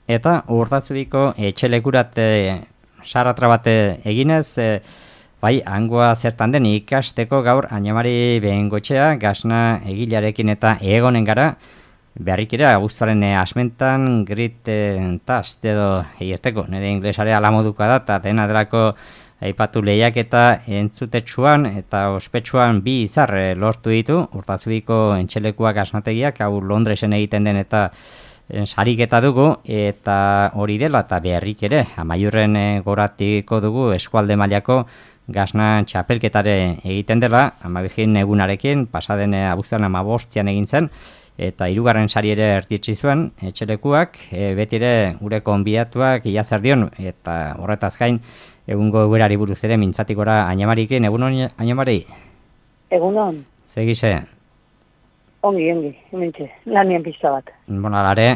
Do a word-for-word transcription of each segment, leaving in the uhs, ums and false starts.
Eta Urdatzubiko etxelekurat e, sarratra bat eginez, e, bai, hangoa zertan den ikasteko gaur Añamari Behengotxea gasna egilearekin eta egonen gara, berrikera abuztuaren e, asmentan grit e, tast edo egiteko, nire inglesare alamoduka da, eta dena delako aipatu lehiak eta entzutetsuan eta ospetsuan bi izar e, lortu ditu, Urdatzubiko entxelekuak gasnategiak, hau Londresen egiten den eta sariketa dugu, eta hori dela eta beharrik ere, amaiurren goratiko dugu eskualde mailako gasna txapelketare egiten dela, amabigin egunarekin, pasaden abuztuan amabostzian egin zen, eta hirugarren sari ere erdietsi zuen, etxelekuak, e, beti ere gure konbidatuak iazardion, eta horretaz gain, egungo eguerari buruz ere mintzatik gora Añamarikin, egunon Añamari? Egunon. Zegise? Ongi, ongi, hementxe, lanien pizta bat. Bona, lare,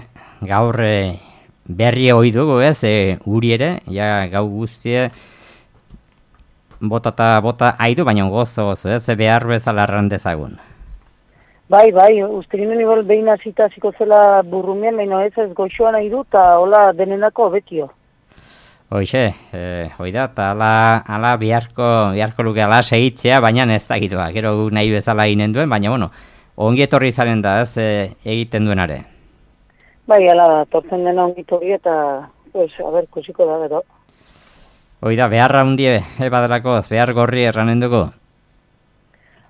gaur e, berri hoi dugu ez, e, uri ere, ja gau guztie bota eta bota aidu, baina gozo gozo ez, e, behar bezala errandezagun. Bai, bai, uste ginen igual behin azita ziko zela burrumean, baina ez ez goxoan nahi du, eta hola denenako betio. Hoixe, e, hoi da, eta ala, ala biharko, biharko luke ala segitzea, baina ez dakitua, gero gu nahi bezala ginen duen, baina bueno, ongi etorri zaren da, ez, e, egiten duenare. Bai, ala, tortzen dena ongi etorri eta, pues, a ber, kusiko da, gero. Hoi da, beharra hundie, e, badalakoz, behar gorri erranen dugu?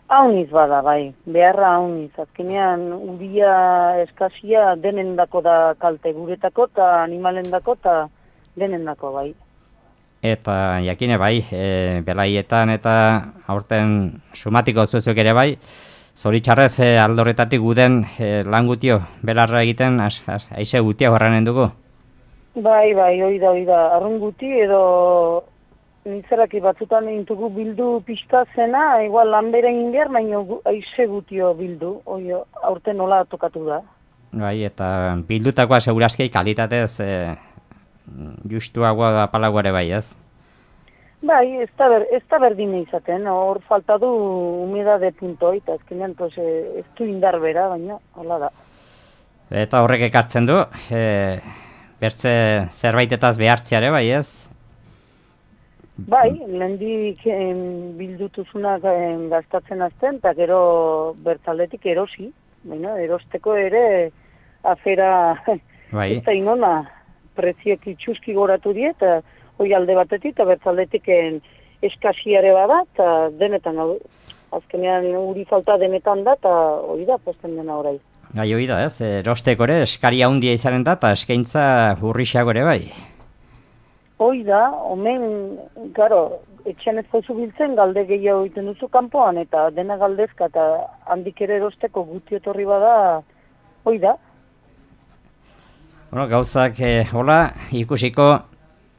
Hauniz bada, bai, beharra hauniz. Azkenean, uria eskazia denendako da kalte guretako eta animalendako eta denendako, bai. Eta jakine bai, e, belaietan eta aurten sumatiko zuzuk ere bai, zoritxarrez e, aldorretatik guden e, lan gutio, belarra egiten, aize gutia horranen dugu? Bai, bai, hoi da, hoi da, arrun guti edo nitzeraki batzutan intugu bildu pixka zena, igual lan bere egin behar, baina aize gutio bildu, hoi aurten nola tokatu da. Bai, eta bildutakoa segurazki kalitatez e, justuagoa da palagoare bai, ez? Bai, ez da, ber, ez da berdine izaten, hor falta du humedade puntoi, eta ezkenean pues, ez du indar bera, baina hola da. Eta horrek ekartzen du, e, bertze zerbaitetaz behartziare bai, ez? Bai, lehendik bildutuzunak gastatzen azten, eta gero bertzaldetik erosi, baina erosteko ere afera bai. Ez da inona, preziek itxuski goratu die, eta hoi alde batetik, eta bertzaldetik eskasiare bada, eta denetan, azkenean uri falta denetan da, eta hori da, posten dena orai. Gai hori da, ez, erosteko ere eskaria handia izanen da, eta eskaintza hurrixago ere bai. Hoi da, omen, garo, etxean ez pauzu biltzen, galde gehiago egiten duzu kanpoan, eta dena galdezka, eta handik ere erosteko guti etorri bada, hoi da. Bueno, gauzak, eh, hola, ikusiko,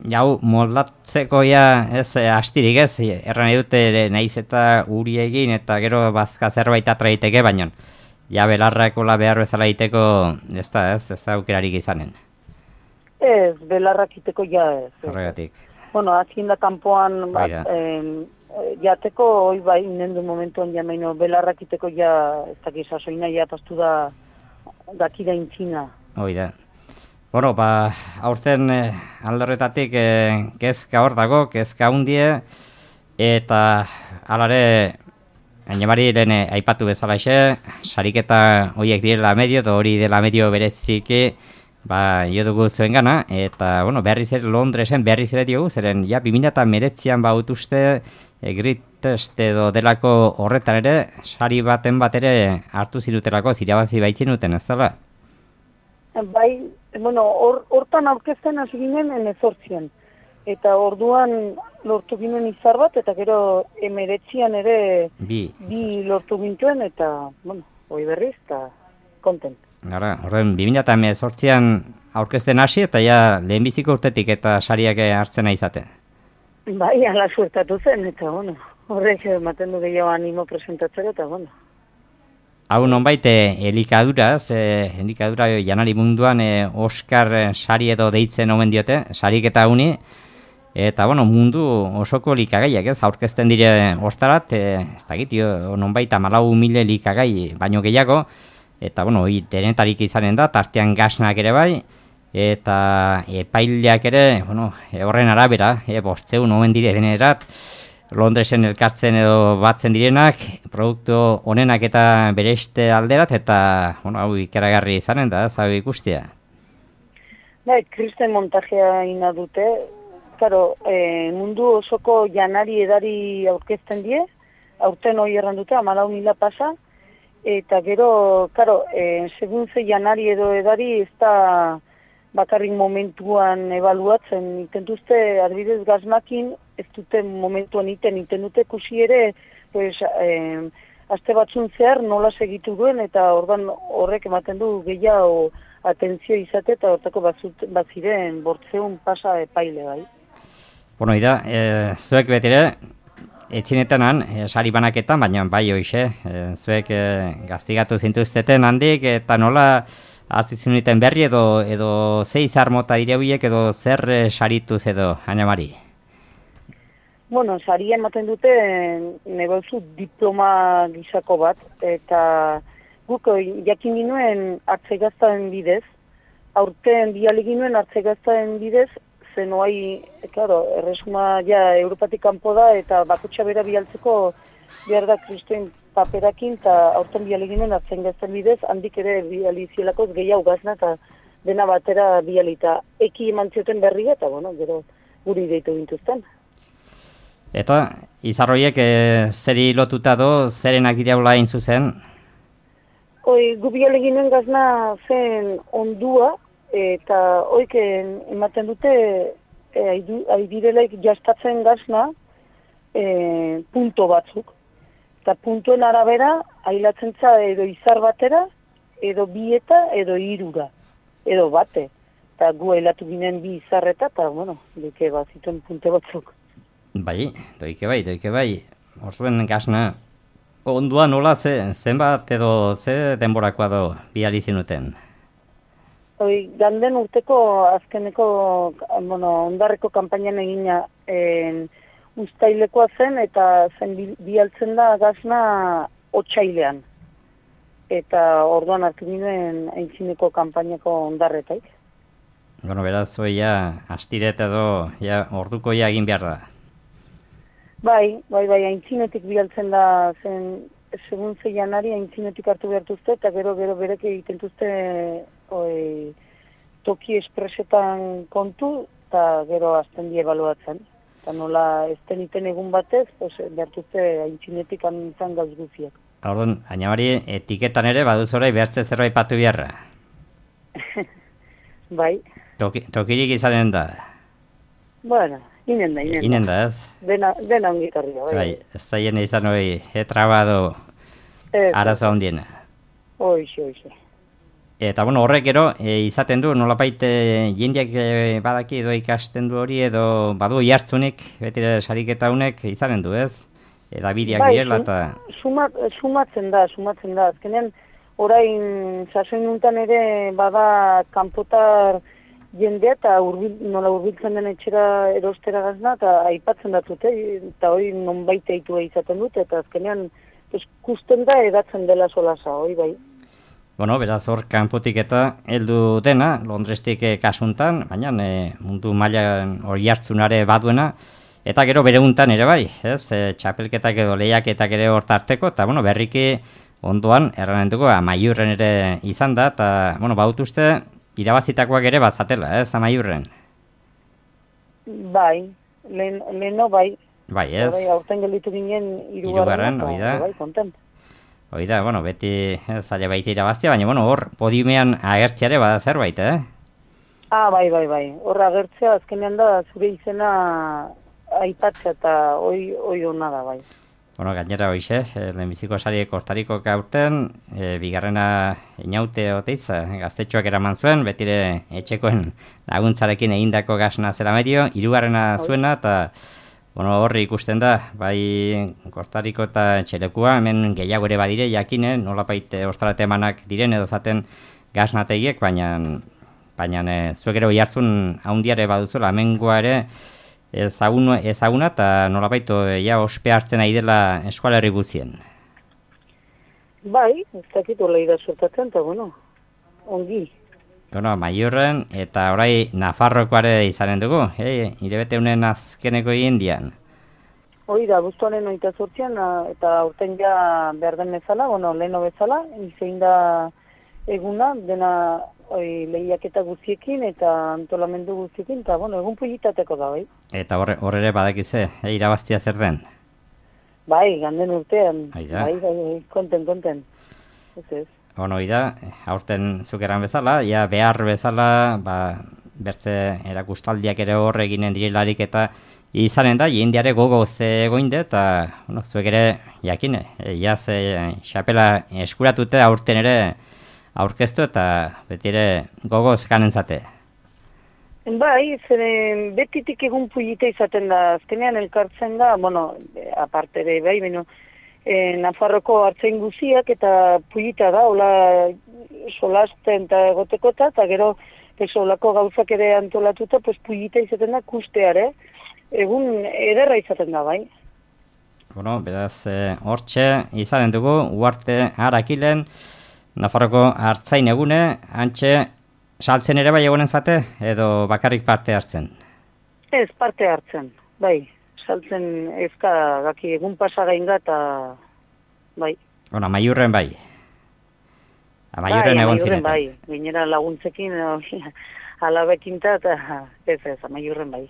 jau, moldatzeko ja, ez, astirik ez, erran edute nahiz eta uri egin, eta gero bazka zerbait atraiteke, baina, ja, belarrakola behar bezala egiteko, ez da, ez, ez da aukerarik izanen. Ez, belarrak iteko ja ez. Horregatik. Bueno, azien da kanpoan, bat, eh, jateko, hoi bai, nendu momentuan ja meino, belarrak iteko ja, ez dakiz, asoina ja pastu da, dakida intzina. Hoi da. Bueno, ba, aurten eh, aldorretatik eh, kezka hor dago, kezka hundie, eta alare, Añamari lehen eh, aipatu bezalaxe, sariketa horiek direla medio, eta hori dela medio bereziki, ba, jo dugu zuen gana, eta, bueno, berriz ere Londresen berriz ere diogu, zeren, ja, bi mila hemeretzian bautuzte, e, grit test edo delako horretan ere, sari baten bat ere hartu zirutelako, zirabazi baitzen duten, ez dela? Bai, bueno, hortan or, aurkezten hasi ginen emezortzian. Eta orduan lortu ginen izar bat, eta gero emeretzian ere bi, bi lortu gintuen, eta, bueno, hoi berriz, eta kontent. Gara, horren, bi mila hemezortzian aurkezten hasi, eta ja lehenbiziko urtetik eta sariak hartzena izaten. Bai, ala suertatu zen, eta, bueno, horrek ematen du gehiago animo presentatzeko, eta, bueno. Hau nonbait, elikadura, ze elikadura janari munduan e, Oscar sari edo deitzen omen diote, sarik eta uni, eta bueno, mundu osoko likagaiak, ez, aurkezten dire ostarat, e, ez dakit, nonbait amalau mile likagai, baino gehiago, eta bueno, hori denetarik izanen da, tartean gasnak ere bai, eta epaileak ere, bueno, e, horren arabera, e, bostzeun omen dire denerat, Londresen elkartzen edo batzen direnak, produktu honenak eta bereiste alderat, eta bueno, hau ikaragarri izanen da, hau ikustea. Bai, kristen montajea ina dute, claro, e, mundu osoko janari edari aurkezten die, aurten hori erran dute, amalau mila pasa, eta gero, claro, e, segun ze janari edo edari ez da bakarrik momentuan ebaluatzen, intentuzte adibidez gazmakin, ez dute momentuan iten, iten dute kusi ere, pues, eh, aste batzun zehar nola segitu duen, eta ordan horrek ematen du gehiago atentzio izate, eta hortako baziren bortzeun pasa epaile bai. Bueno, ida, e, zuek betire, etxinetanan, e, sari banaketan, baina bai hoxe, e, zuek e, gaztigatu zintuzteten handik, eta nola hartzizinuten berri edo, edo ze izar mota direuiek edo zer e, sarituz edo, Añamari? Bueno, saria ematen dute negozu diploma gisako bat, eta guk jakin ginuen hartzegaztaen bidez, aurten biali ginuen hartzegaztaen bidez, zen oai, claro, erresuma ja Europatik kanpo da, eta bakutsa bera bialtzeko behar da kristuen paperakin, eta aurten biali ginen hartzegaztaen bidez, handik ere biali zielakoz gehiago gazna, eta dena batera bialita eki eman zioten berria, eta bueno, gero guri deitu gintuzten. Eta, izarroiek e, zeri lotuta do, zerenak diraula hain zuzen? Hoi, gubiale ginen gazna zen ondua, eta hoik ematen dute e, aidirelaik jastatzen gazna e, punto batzuk. Eta puntuen arabera, ailatzen za edo izar batera, edo bieta, edo irura, edo bate. Eta gu ailatu ginen bi izarreta, eta, bueno, dike bat zituen punte batzuk. Bai, doike bai, doike bai. Orzuen gazna, ondua nola ze, zenbat edo ze denborakoa do biali zinuten? Hoi, ganden urteko azkeneko, bueno, ondarreko kanpainan egina en, ustailekoa zen, eta zen bialtzen da gazna otsailean. Eta orduan hartu ginen aintzineko kanpainako ondarretaik. Bueno, beraz, hoi ja, astiret edo, ja, orduko ja egin behar da. Bai, bai, bai, aintzinetik bialtzen da, zen, segun ze janari aintzinetik hartu behartuzte, eta gero, gero berek egiten duzte oi, toki espresetan kontu, eta gero azten die ebaluatzen. Eta nola ez teniten egun batez, pues, behartuzte aintzinetik antzan gauz guziak. Orduan, Añamari, etiketan ere baduzora behartze zerbait patu beharra. Bai. Toki, tokirik izanen da. Bueno, inen da, inen da. Inen da, ez? Dena, dena ongitarria, bai. Bai, ez da jene izan hori, etrabado arazo handiena. Hoixe, hoixe. Eta, bueno, horrek gero, e, izaten du, nolapait e, jendeak e, badaki edo ikasten du hori, edo badu jartzunik, betire sariketa honek izanen du, ez? Eda bideak bai, direla, eta... Sumat, sumatzen da, sumatzen da. Azkenean, orain, sasoin nuntan ere, bada kanpotar jendea, eta urbil, nola urbiltzen den etxera erostera gazna, eta aipatzen datute, eta hori non baita itua izaten dute, eta azkenean, pues, kusten da edatzen dela solasa, hori bai. Bueno, beraz hor kanpotik eta heldu dena, Londrestik e, kasuntan, baina e, mundu mailan hori hartzunare baduena, eta gero bere untan ere bai, ez? E, txapelketak edo lehiaketak ere hor tarteko, eta bueno, berriki ondoan, erranen dugu, amaiurren ere izan da, eta bueno, bautuzte, irabazitakoak ere bazatela, ez, amaiurren? Bai, lehen, leheno bai. Bai, ez? Bai, aurten gelditu ginen irugarren, hori da. Bai, kontent. Hoi da, bueno, beti zaila baita irabaztia, baina, bueno, hor, podiumean agertziare bada zerbait, eh? Ah, bai, bai, bai. Hor agertzea, azkenean da, zure izena aipatzea eta hoi, hoi hona da, bai. Bueno, gainera hoize, lehenbiziko sari Kostariko kaurten, e, bigarrena inaute oteiz, gaztetxoak eraman zuen, betire etxekoen laguntzarekin egindako gazna zera medio, hirugarrena zuena, eta bueno, horri ikusten da, bai Kostariko eta Txelekua, hemen gehiago ere badire, jakine, nolapait ostarate emanak diren edo zaten gaznategiek, baina, baina e, zuek ere oihartzun haundiare baduzuela, hemengoa ere ezaguna, ezaguna eta nolapait ja ospe hartzen ari dela eskualerri guzien. Bai, ez dakit hola ida sortatzen, eta bueno, ongi. Bueno, Maiurren eta orai Nafarrokoare izanen dugu, eh? Irebete unen azkeneko indian. Hoi da, buztuaren oita zortzian, eta aurten ja behar den bezala, bueno, leheno bezala, izein da eguna, dena oi, lehiaketa guztiekin eta antolamendu guztiekin, eta bueno, egun pulitateko da, bai. Eta horre, horre ere badakize, eh, irabaztia zer den? Bai, ganden urtean, Aida. bai, bai, bai, konten, konten. Ez ez. Ono, da, aurten zukeran bezala, ja behar bezala, ba, bertze erakustaldiak ere horre eginen direlarik eta izanen da, jendeare gogoz egoinde, eta, bueno, zuek ere, jakine, e, jaz, e, xapela eskuratute aurten ere aurkeztu eta beti ere gogoz ganen zate. Bai, zeren betitik egun pulita izaten da, azkenean elkartzen da, bueno, aparte ere, bai, beno, e, Nafarroko hartzain guziak eta pulita da, hola solasten eta egoteko eta gero, pues, holako gauzak ere antolatuta, pues, pulita izaten da kusteare, egun ederra izaten da, bai. Bueno, beraz, e, hortxe izanen dugu, uarte harakilen, Nafarroko hartzain egune, antxe, saltzen ere bai egonen zate, edo bakarrik parte hartzen? Ez, parte hartzen, bai. Saltzen ezka gaki egun pasagain eta bai. Bueno, Amaiurren bai. Amaiurren bai, egon Amaiurren zineten. bai. Gainera laguntzekin, alabekin ta, eta ez ez, Amaiurren bai.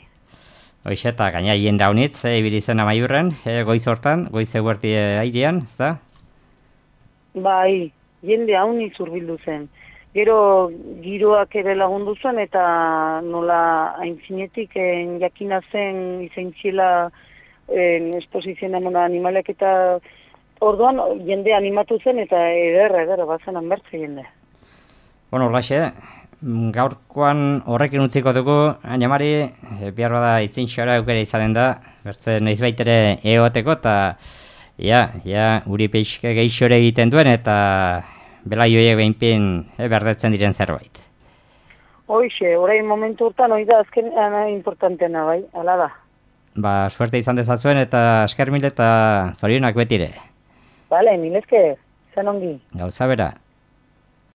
Hoixe, eta gaina jende haunitz, e, ibili zen Amaiurren, e, goiz hortan, goiz eguerti airean, ez da? Bai, jende hauniz urbildu zen. Gero giroak ere lagundu zen eta nola aintzinetik en, jakina zen izaintziela esposizioan emona animalek eta orduan jende animatu zen eta ederra, ederra, bazen anbertze jende. Bueno, horlaxe, gaurkoan horrekin utziko dugu, Añamari, e, behar bada itzintxora eukere izanen da, bertze noiz baitere egoteko, eta ja, ja, uri peixke geixore egiten duen, eta belaioiek behinpin e, berdetzen diren zerbait. Hoixe, orain momentu urtan, hoi da, azken ana importantena, bai, ala da. Ba, suerte izan dezatzuen eta esker mil eta zorionak betire. Bale, milezke, zen ongi. Gauza bera.